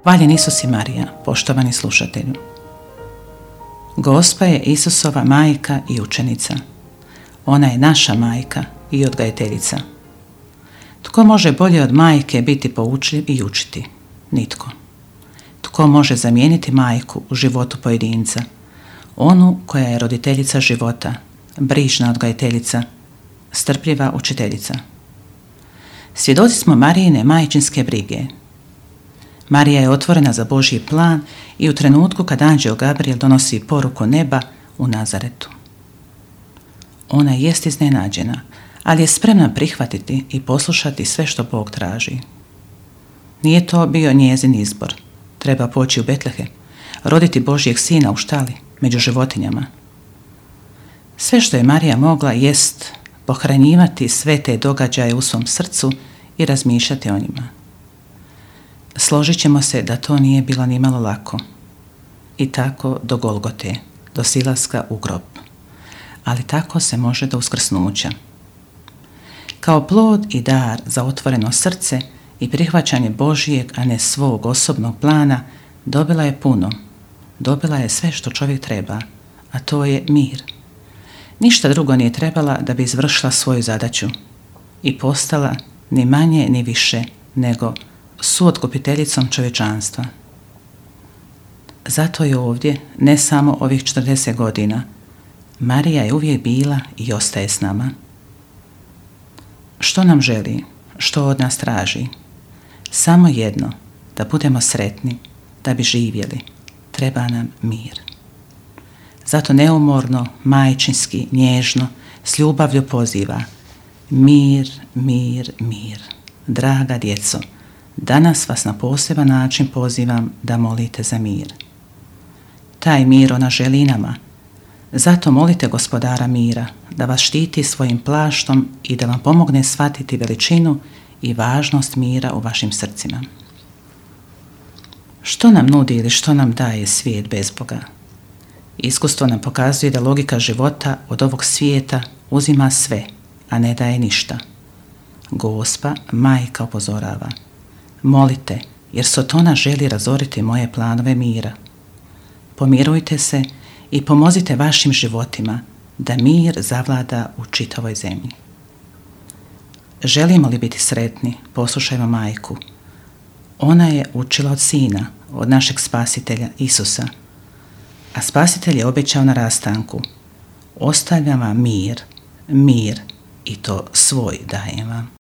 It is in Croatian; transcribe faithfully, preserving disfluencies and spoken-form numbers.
Hvaljen Isus i Marija, poštovani slušatelju. Gospa je Isusova majka i učenica. Ona je naša majka i odgajateljica. Tko može bolje od majke biti poučljiv i učiti? Nitko. Tko može zamijeniti majku u životu pojedinca? Onu koja je roditeljica života, brižna odgajateljica, strpljiva učiteljica. Svjedoci smo Marijine majčinske brige. Marija je otvorena za Božji plan i u trenutku kad anđeo Gabriel donosi poruku neba u Nazaretu. Ona jest iznenađena, ali je spremna prihvatiti i poslušati sve što Bog traži. Nije to bio njezin izbor. Treba poći u Betlehem, roditi Božjeg sina u štali, među životinjama. Sve što je Marija mogla jest pohranjivati sve te događaje u svom srcu i razmišljati o njima. Složit ćemo se da to nije bilo ni malo lako. I tako do Golgote, do silaska u grob. Ali tako se može do uskrsnuća. Kao plod i dar za otvoreno srce i prihvaćanje Božijeg, a ne svog osobnog plana, dobila je puno. Dobila je sve što čovjek treba, a to je mir. Ništa drugo nije trebala da bi izvršila svoju zadaću i postala ni manje ni više nego suotkupiteljicom čovječanstva. Zato je ovdje, ne samo ovih četrdeset godina, Marija je uvijek bila i ostaje s nama. Što nam želi, što od nas traži? Samo jedno, da budemo sretni, da bi živjeli. Treba nam mir. Zato neumorno, majčinski, nježno, s ljubavlju poziva: mir, mir, mir. Draga djeco, danas vas na poseban način pozivam da molite za mir. Taj mir ona želi nama. Zato molite Gospodara mira da vas štiti svojim plaštom i da vam pomogne shvatiti veličinu i važnost mira u vašim srcima. Što nam nudi ili što nam daje svijet bez Boga? Iskustvo nam pokazuje da logika života od ovog svijeta uzima sve, a ne daje ništa. Gospa, majka, upozorava: molite, jer Sotona želi razoriti moje planove mira. Pomirujte se i pomozite vašim životima da mir zavlada u čitavoj zemlji. Želimo li biti sretni, poslušajmo majku. Ona je učila od sina, od našeg spasitelja Isusa, a spasitelj je obećao na rastanku: ostavljam vam mir, mir, i to svoj dajem vam.